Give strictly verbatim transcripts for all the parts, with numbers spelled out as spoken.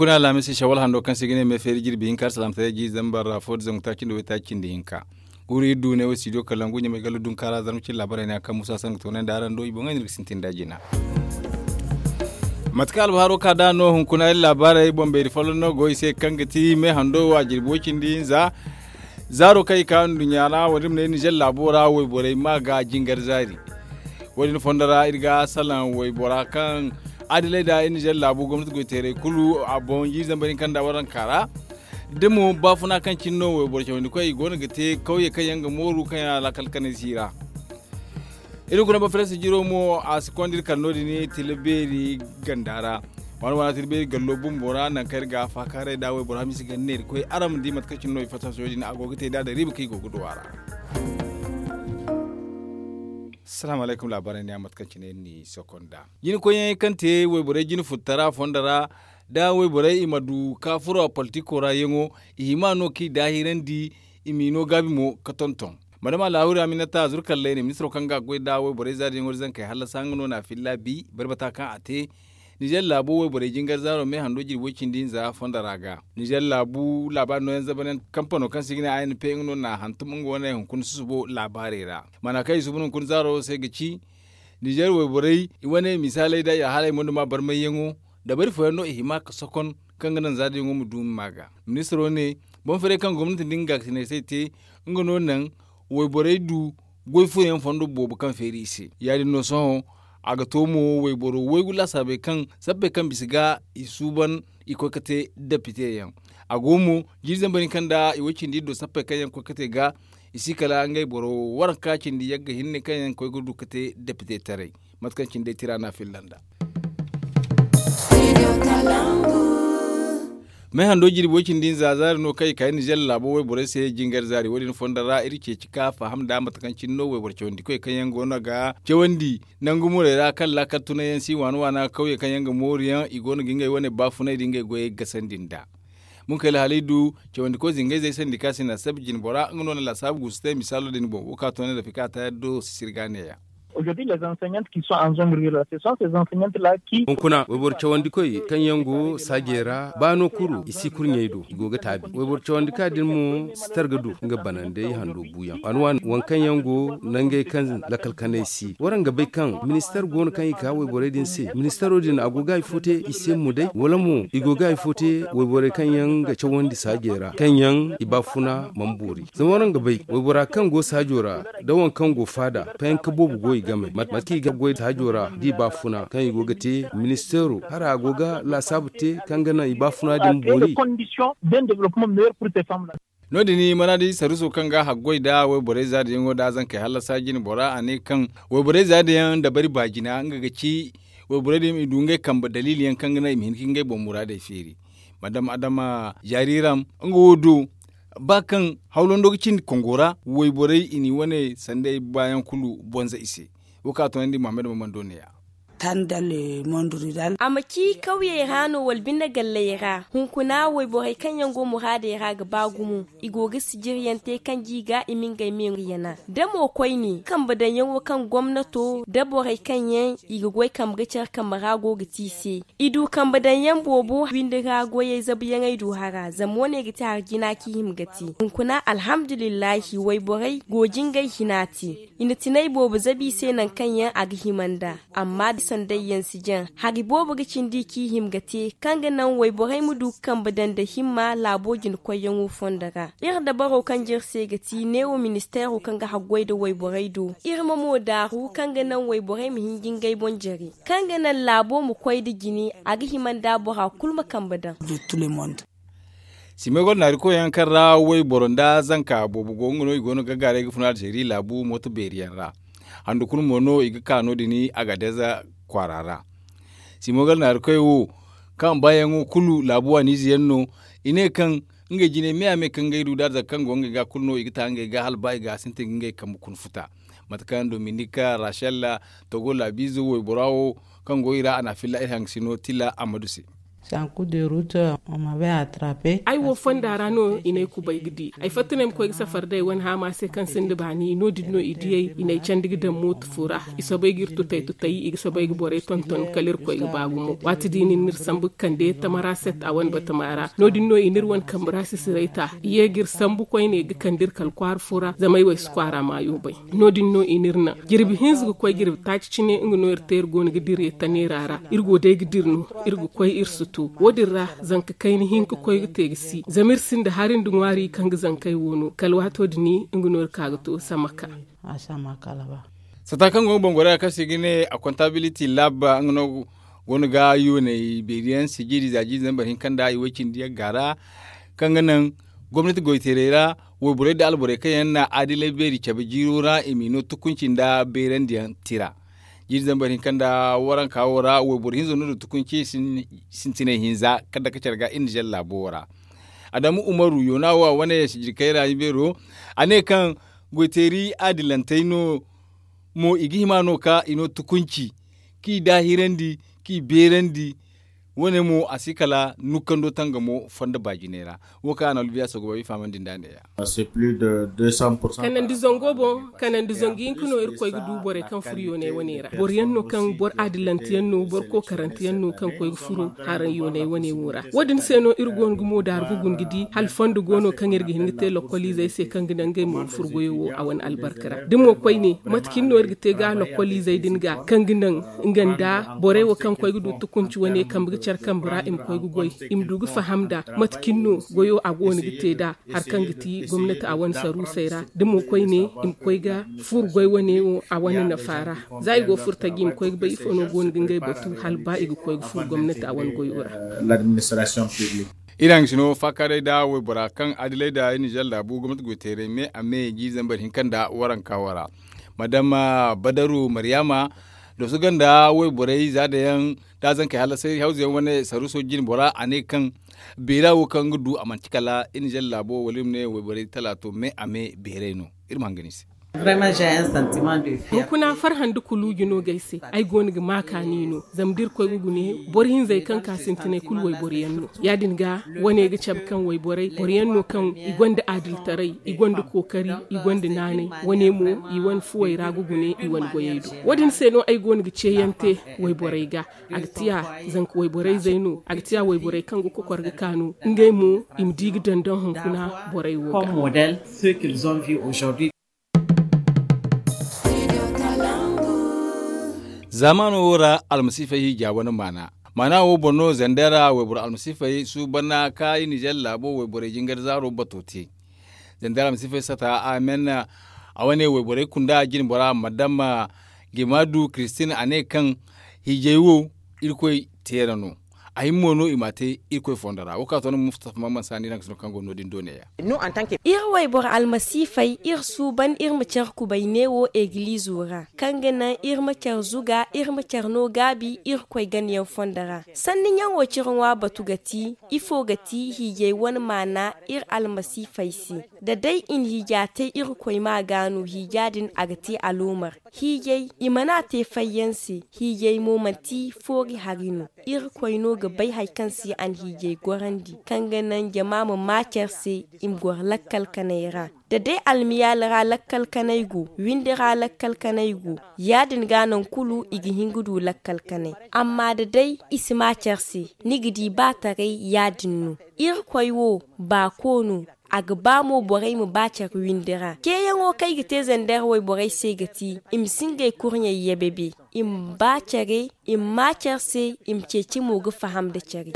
Kuna alhamis shawal hando kaŋ se i ga ne me feeri jirbi hinka alsalaamataray jiiri zambar ra fo da zangu taaci nda waytaaci cindi hinka. Guuru iri du ne wo studio kalangu ɲamay gallo dunkaara zarma cine laabaray ne a kaŋ musa sangu toonandi araŋ do i boŋey no iri ga sintin nd'a jina. Mate kaŋ albahaaro ka nd'a no hunkuna iri laabaarey boŋ beeri folloŋ no go i se kaŋ ga ti me hando wo a jirbi way-cindi hinza. Zaaro kaŋ i ka nduɲɲa ra wo- din ma ne nizer laabo ra wayborey ma ga jingar zaari. Wo- din fondo ra iri ga salaŋ waybora kaŋ adilay nda nizer laabu gomnati goyteerey kulu a boŋ jiiri zambar hinka nda waranka ra. Da mo baafuna kaŋ cine no wayboro cawandi koy i go no ga te kawye kaŋ yaŋ ga mooru kaŋ yaŋ a laakal kanay si ra. Iri kuna ba farayse jiro mo a si konda iri kala no- din tila beeri ganda ra. Waana waana tila beeri gallo bumbo ra nangu kaŋ iri ga a faakaaray nd'a wayboro hamiisi ga ne iri koy araŋ ma di mate kaŋ cine no i fatta sohõ din a go ga te nd'a da riiba kaŋ i go ga du a ra. Salaamu alaykum laabaarey ne a mate kaŋ cine iri n'i sokon nd'a. Jina koyyaŋey kaŋ te wayborey jina futtara fondo ra da wayborey i ma du ka furo a politiko ra yaŋo i hima no kaŋ i daahirandi. I m'i no gaabi mo ga tonton. Madama laahuri aminata zuru kallay ne ministiro kaŋ ga a goy nd'a wayborey zaari yaŋo da zankey hallasa nga no n'a filla bi barbata kaŋ a te. Nizer laabo wayborey jingar zaaro me hando jirbi way-cindi hinza fondo ra ga nizer laabu laabaari nooyaŋ zabar yaŋ kampano kaŋ se i ga ne a n p nga no n'a hantum nga wane hunkuna susubo laabaarey ra. Maana kaŋ i suuban hunkuna zaaro se ga ci nizer wayborey i wane misaaley nda i alhaaley moyduma barmayyaŋo dabari fooyaŋ no i hima ga sokon kaŋ ga naŋ zaari yaŋo ma du ma ma ga. Ministiro ne boŋ-feeray kaŋ gomnati nda nga ga sinay se te nga no naŋ wayborey du goy fooyaŋ fondo boobo kaŋ feeri i se. Ya- din no sohõ a ga to mo wayboro waygu laasaabey kaŋ sabbey kaŋ bisa ga i suuban i koy ga te depite yaŋ. A go mo jiiri zambar hinka nda i way-cindi iri do sappey kaŋ yaŋ koy ga te ga i si kala ngey boro waranka cindi yagga hinne kaŋ yaŋ koy ga du ga te depite taray. Mate kaŋ cine day tira no a filla nd'a. Me hando jirbi way-cindi hinza zaari no kaŋ i kay nizer laabo wayborey se jingar zaari wo- din fondo ra iri ceeci ka faham nd'a mate kaŋ cine no wayboro cawandikoy kaŋ yaŋ go no ga cawandi nangu murey ra kaŋ laakal tunay yaŋ si waana waana kawye kaŋ yaŋ ga mooru yaŋ i go no ga ngey wane baafunay nda ngey goyey gasandi nd'a. Munkayla hala i du cawandiko zingayzey sandika sina sabi jinbora nga no na laasaabu guusu te misaalo din boŋ wo ka toonay da fika tayar do sisiri ga neeya. Hunkuna wayboro cawandikoy kaŋ yaŋ go saajey ra ba no kuru i si kurɲey do i go ga taabi wayboro cawandika din mo si targa du nga banandey hando buuyaŋ waani waani waŋ kaŋ yaŋ go nangey kaŋ lakkal kanay si waraŋ ga bay kaŋ ministar go no kaŋ i ka wayborey din se ministaro din a go ga hari fo te i se mo day wala mo i go ga hari fo te wayborey kaŋ yaŋ ga cawandi saajey ra kaŋ yaŋ i baafuna mana boori zama waraŋ ga bay waybora kaŋ go saajo ra da waŋ kaŋ go faada fayanka boobo go i game mate kaŋ i ga goy saajo ra da i baafuna kaŋ i go ga te ministeero hara a go ga laasaabu te kaŋ ga naŋ i baafuna din boori. No- din manaadi saruso kaŋ ga haggoy nda wayborey zaadiyaŋo nda zankey hallasa jine bora a ne kaŋ wayborey zaadiyaŋ dabari baajina nga ga ci wayborey din i du ngey kambe daliili yaŋ kaŋ ga naŋ i ma hin ka ngey boŋ muraadey feeri. Madam adama jaariiram nga wo do ba kaŋ hawlando ga cindi kongo ra wayborey i n'i wane sanday baayaŋ kulu bonza i se. Wo kaŋ a toonandi muhammad maman do neeya. A ma ci kawyey ra no wala binde galley ra hunkuna wayborey kaŋ yaŋ go muraadey ra ga ba gumo i go ga sijiryaŋ te kaŋ ga i ga i ma ngey me yana da mo koyne kambe daŋyaŋo kaŋ gomnato da borey kaŋ yaŋ i ga goy kambe ga care kambe ra go ga te i se. I du kambe daŋyaŋ boobo windi ra goyey zabuyaŋey du hara zama wane ga ti hari jina kaŋ i hima ga te hunkuna alhamdulillahi wayborey go jingay hina te. I na tinay boobo zabi i se nangu kaŋ yaŋ a ga hima nd'a. Amma da sanday yaŋ si jaŋ hari boobo ga cindi kaŋ i hima ga te kaŋ ga naŋ wayborey ma du ga kambe daŋ nda himma laabo jina koyyaŋo fondo ra. Iri dabaro kaŋ jire se ga ti neewo ministeero kaŋ ga haggoy nda wayborey do iri ma mo daaru kaŋ ga naŋ wayborey ma hin ga ngey boŋ jare kaŋ ga naŋ laabo ma koy nda jine a ga hima nda bora kulu ma kambe daŋ. Simay goro naari koyyaŋ kaŋ ra wayboro nda zanka boobo go nga no i go no ga gaaray ga funa alzeeri laabu mooto beeri yaŋ ra. Handu kulu mo no i ga ka no- din agadez kwaara ra. Simay goro naari koy wo kaŋ baayaŋo kulu laabu waaniize yaŋ no. I ne kaŋ ngey jine me a me kaŋ ngey du da arzaka kaŋ go ngey ga kulu no i ga ta ngey ga hala ba i ga sintin ga ngey kambe kuna futa. Mate kaŋ dominik rachel togo laabiize waybora wo kaŋ go i ra a na a filla iri haŋgasino tila ammadu se. Sanku de ruta. Ay wo fonda ra no i n'ay kubay ga di. Ay fatta no ay ma koy ga safar day wane haama se kaŋ sinda baani no- din no i diyay i n'ay candi ga daŋ mooto fo ra. I soobay ga iri tutay tutay i ga soobay ga borey tonton kala iri koy ga ba gumo waati di no i n'iri sambu ga kande tamara set a wane batama ra. No- din no i n'iri wane kambe ra sisiray ta i ye ga iri sambu koyne ga kande iri kala kwaara fo ra zama ay wo ay si kwaara maayo bay. No- din no i n'iri naŋ jirbi hinza ga koy jirbi taaci cine nga no iri te iri go no ga dira iri taneera ra. Iri go day ga dira no iri ga koy iri si to. Wo- din ra zanka kayna hinka koy ga te ga si zama iri sinda hari nda ŋwaari kaŋ ga zankey wo no kala waato din nga no iri ka ga to samaka. Sata kaŋ go ga boŋ gorey ra kaŋ se i ga ne a kontabiliti laaba nga no go no ga yooney beeri yaŋ sijiri za jiiri zambar hinka nda i way cindi yaŋ ga ra. Kaŋ ga naŋ gomnati goyteerey ra wayborey nda alborey kaŋ yaŋ na adilay beeri cabe jiiro ra i m'i no tukunci nda beerandiyaŋ tira. Jiiri zambar hinka nda waranka wo ra wayboro hinzo no du tukunci sintinay hinza kaŋ dake care ga iri na zalla laabo wo ra. Adamu umaru yoona wo a wane sijiri kayra ibeero a ne kaŋ goyteeri adilantey no mo i ga hima no ka i no tukunci kaŋ i daahirandi kaŋ i beerandi. Wo- ne mo a si kala nukkando tangamo fondo baajinay ra. Wo kaŋ a na albiya sooga bay i fahamandi nd'a neeya. Kanandi zango boŋ kanandi zangu hinka no iri koy ga du borey kaŋ furo yoonay wane ra boro yaŋ no kaŋ boro adilante yaŋ no boro kokarante yaŋ no kaŋ koy ga furo haraŋ yoonay wane wo ra. Wo- din se no iri go no ga moodaari ga guna ga di hala fondo go no kaŋ iri ga hin ga te lokkoliizey se kaŋ ga naŋ ngey mo ga furo goyo wo a wane albarka ra da mo koyne mate cine no iri ga te ga lokkoliizey din ga kaŋ ga naŋ nga nda borey wo kaŋ koy ga du tukunci wane kambe ga care kambe ra i ma koy ga goy i ma du ga faham nd'a mate cine no goyo a go no ga te nd'a. Hari kaŋ ga ti gomnati a wane saruusey ra da mo koyne i ma koy ga furo goy wane wo a wane nafa ra. Za i go furo taji i ma koy ga bay ifo no go no ga ngey batu hala ba i ga koy ga furo gomnati a wane goyo ra. Iri haŋ ga sino faakaaray nda waybora kaŋ adilay nda ninzeer laabu gomnati goyteeray me a me jiiri zambar hinka nda waranka wo ra. Madama badaru maryaama dooso ganda wayborey za da yaŋ da a zankey hala sayri hawza yaŋ wane saruuso jine bora a ne kaŋ beera wo kaŋ ga du a manti kala iri na zalla laabo wala iri ma ne wayborey talaato me a me beeray no. Iri ma hangan i se. Hunkuna farhã nda kuluuji no ga ay se. Ay go no ga ma kaani no zama da iri koy ga gune boro hinzey kaŋ ka sintinay kulu wayboro yaŋ no. Ya- din ga wane ga cabe kaŋ wayborey boro yaŋ no kaŋ i gonda aadiltaray, i gonda kookari, i gonda naanay. Wane mo i wane fuwey ra ga gune i wane goyey do. Wo- din se no ay go no ga ceeyaŋ te wayborey ga. A ga tiya zanka wayborey zey no a ga tiya wayborey kaŋ ga kokor ga kaanu ngey mo i ma di ga dondoŋ hunkuna borey wo ga. Zaamaano wo ra almasiifey hiija wane maana. Maana wo boŋ no zandara wayboro almasiifey suuban ka i nizeer laabo wayborey jingar zaaro bato te. Zandara almasiifey sata amen. A wane wayborey kunda jine bora madama gimadu kiristin a ne kaŋ hiijay wo irkoy teera no. A hima mo no i m'a te irkoy fondo ra wo kaŋ a to no mustafa maman saani naŋ ga sino kaŋ go no- din do neeya. Iri wayboro almasiifey iri suuban iri ma care kubay neewo egiliizo ra kaŋ ga naŋ iri ma care zuga iri ma care no gaabi irkoy ganayaŋ fondo ra. Sanni ɲaŋo cire ŋwa batu ga ti ifo ga ti hiijay wane maana iri almasiifey se? Da day i na hiija te irkoy ma ga no hiija din a ga te aloomar. Hiijay i mana te fayyaŋ se. Hiijay mo manti foori hari no. Irkoy no ga bay hari kaŋ se a na hiijay gorandi kaŋ ga naŋ jama ma ma care se i ma goro lakkal kanay ra. Da day almiyaali ra lakkal kanay go windi ra lakkal kanay go ya- din ga naŋ kulu i ga hin ga du lakkal kanay. Amma da day i si ma care se ni ga di ba taray ya- din no. Irkoy wo baako no. A ga ba mo borey ma ba care windi ra ceeyaŋo kaŋ ay ga te zandeer wayborey se ga ti i ma si ngey kurɲey yebebe. I ma ba care i ma ma care se i ma ceeci mo ga faham nda care.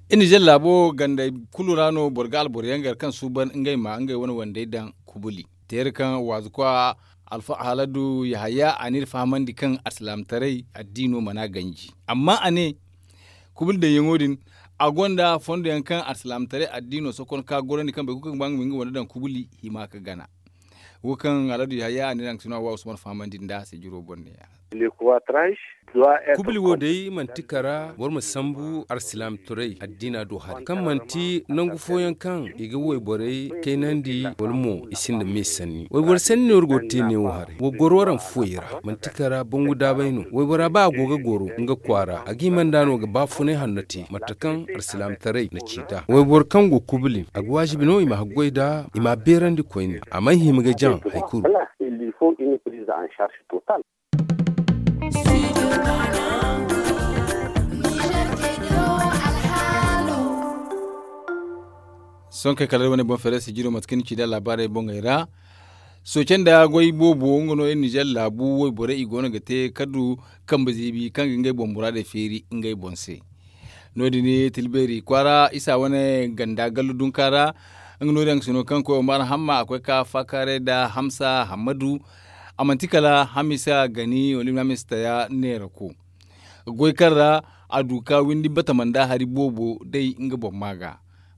Iri nizeer laabo gandey kulu ra no boro ga alboro yaŋ gar kaŋ suuban ngey ma ngey wane wandey daŋ kubuli. Teera kaŋ waazu kwa alfa haladu yahaya a n'iri fahamandi kaŋ alsilaamataray addiino mana ganji. Amma a ne kubuli daŋyaŋo din a gonda fondo yaŋ kaŋ alsilaamataray addiino sokon ka gorandi kaŋ boro kulu kaŋ ga ba nga ma nga wande daŋ kubuli hima ga gana. Wo kaŋ haladu yahaya a n'iri haŋ ga sino a wa usman fahamandi nda a se jiro boŋ ne. Kubli wo day manti kara boro ma sambu arsilaam turay addiina do haray kaŋ manti nangu fooyaŋ kaŋ i ga wayborey kaynandi wala mo i sinda me sanni wayboro sanni no iri go ga te neewo haray. Wa goro araŋ fuwey ra manti kara bangu daabay no waybora ba a go ga goro nga kwaara a ga hima nd'a no ga baafunay hanno te mate kaŋ arsilaam taray na ci nd'a wayboro kaŋ go kubli a ga waajibi no i ma haggoy nd'a i m'a beerandi koyne a m'ay hima ga jaŋ. Hari kulu. Sohõ kay kala iri wane boŋ feeray sijiro mate kaŋ ni ci nd'a laabaarey boŋey ra. Sooce nda goy boobo nga no iri nizer laabu wayborey i go no ga te kaddu kambe ziibi kaŋ ga ngey boŋ muraadey feeri ngey boŋ se. No- din tilbeeri kwaara isa wane ganda gallu dunka ra. Nga no- din a ga sino kaŋ koy omar hamma a koy ka faakaaray nda hamsa hammadu. A manti kala hamisa gani wala i ma ne hamisa taya neerako goy kaŋ ra a du ka windi batama nda hari boobo day nga boŋ ma ga.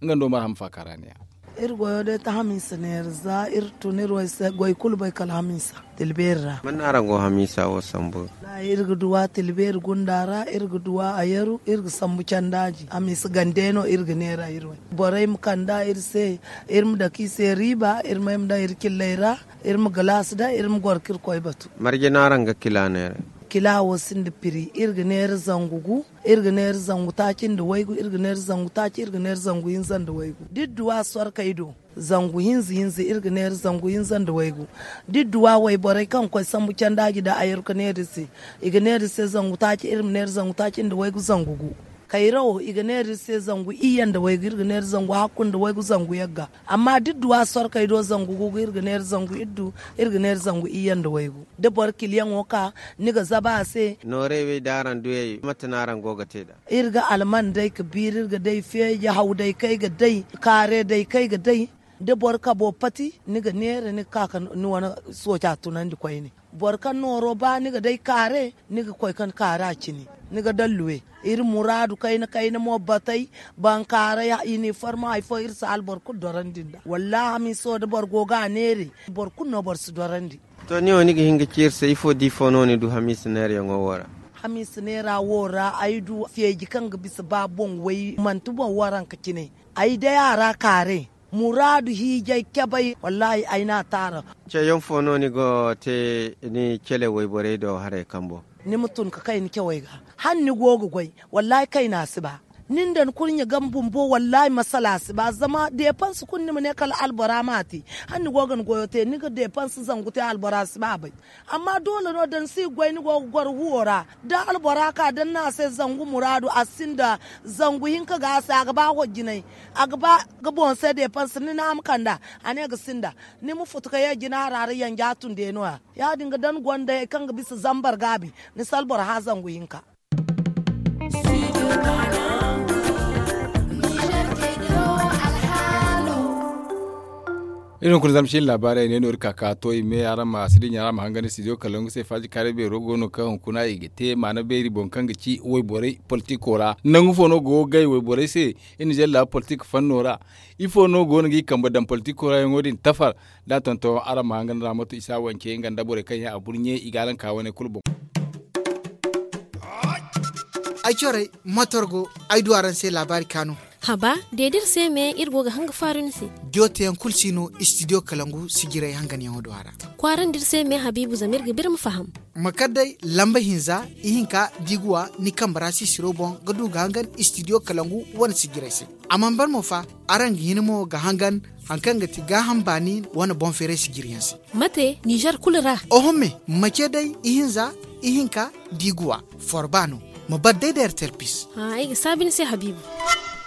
Nga nda omar hamma faakaara ne ya. Iri goyo day ta hamisa neera za iri tun iri wo ay se goy kulu bay kala hamisa. Tilbeeri ra. Man no araŋ go hamisa wo sambu? Iri ga duwa tilbeeri gunda ra iri ga duwa a yaru iri ga sambu candaaji hamisa gande no iri ga neera iri wo. Borey ma kand'a iri se iri ma dake i se riiba iri ma ay ma daŋ iri cilley ra. Iri ma galaasi daŋ iri ma goro ka iri koy batu. Marje no araŋ ga kila neera? Kila wo sinda piri iri ga neera zangu gu, iri ga neera zangu taaci nda waygu iri ga neera zangu taaci iri ga neera zangu hinza nda waygu da iri duwa sorkey do. Zangu hinza hinza iri ga neera zangu hinza nda waygu. Da iri duwa wayborey kaŋ ga koy sambu candaaji nda a yaru ga neera iri se. I ga neera iri se zangu taaci iri ma neera zangu taaci nda waygu zangu gu. Kayra wo i ga neera iri se zangu iyye nda waygu iri ga neera zangu hakku nda waygu zangu yagga. Amma da iri duwa sorkey do zangu gu iri ga neera zangu iddu. Iri ga neera zangu iyye nda waygu da boro kiliyaŋo ka ni ga zaba a se. Noorey wey da araŋ duyey mate no araŋ go ga te nd'a? Iri ga alman day ga biiri iri ga day feeji haw day kaŋ ay ga day kaare day kaŋ ay ga day. Da boro kabo pati ni ga neera ni ga ka ga ni wane sooca tunandi koyne. Boro kaŋ nooro ba ni ga day kaare ni ga koy kaŋ kaare a cine. Ni ga daŋ luwe iri muraadu kayna kayna mo batey. Bankaaray iniformo hari fo iri si alboro kulu dorandi nd'a wallaahi hamiiso da boro go ga a neere. Boro kulu no boro si dorandi. To ni wo ni ga hin ga ci iri se ifo da ifo no ni du hamiisa neerayaŋo wo ra? Hamiisa neera wo ra ay du feeji kaŋ ga bisa ba boŋ way manti boŋ waranka cine. Ay day a ra kaare muraadu hiijay cabay wallaahi ay n'a taara. Ceeyaŋ fo no ni go ga te ni cele wayborey do haray kambo? Ni ma tun ga kay ni cawey ga hala ni go ga goy wallaahi kayna si ba. Ni nda ni kurɲe game bumbo wallaahi masala si ba zama deepanse kulu ni ma ne kala albora m'a te. Hala ni go ga ni goyo te ni ga deepanse zangu te albora si ba bay. Amma doole no da ni si ga goy ni go ga goro huwo ra da albora ka da ni ne a se zangu muraadu a sinda zangu hinka ga a se a ga ba hojjinay. A ga ba ga boŋ se deepanse ni ne a ma kand'a a ne ga sinda. Ni ma futu ka ye jina hara ra yanja tun day no- ya ya- din ga da ni gonda hari kaŋ ga bisa zambar gaabi ni si albora hã zangu hinka. Iri hunkuna zama cine laabaarey ne no iri ka ka to i me araŋ ma si dinya araŋ ma hangan studio kalangu se faaji kaaray beero go no kaŋ hunkuna i ga te maana beeri boŋ kaŋ ga ci wayborey politiko ra nangu fo no go ga gay wayborey se? Iri na zella politik fanno ra ifo no go no ga i kambe daŋ politiko ra yaŋo din tafar da a tonton araŋ ma hangan ra moto isa wance nga nda borey kaŋ yaŋ a burɲe i ga araŋ ka wane kulu boŋ. Ay corey motor go ay du araŋ se laabaari kaanu. Haba de da iri se me iri go ga hanga faaru ni se. Jooteyaŋ kulu si no studio kalangu sijirey hanganyaŋo do a ra. Kwaarandi iri se me habiibu zama iri ga biri ma faham. Ma kar day lamba hinza ihinka da i ga wa ni kambe ra sisiro boŋ ga du ga hangan studio kalangu wane sijirey se. A mana ban mo fa araŋ ga hin mo ga hangan hari kaŋ ga ti gaaham baani wane boŋ feeray sijiriyaŋ se. Mate nizer kulu ra? Oho me ma ce day ihinza ihinka da i ga wa forba no. Ma bar day da rtlpis. Ay ga saabi ni se habiibu.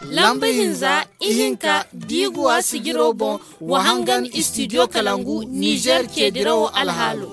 Lamba hinza ihinka da i ga wa sijiro boŋ wa hangan studio kalangu nizer ce dirawo alhaalo.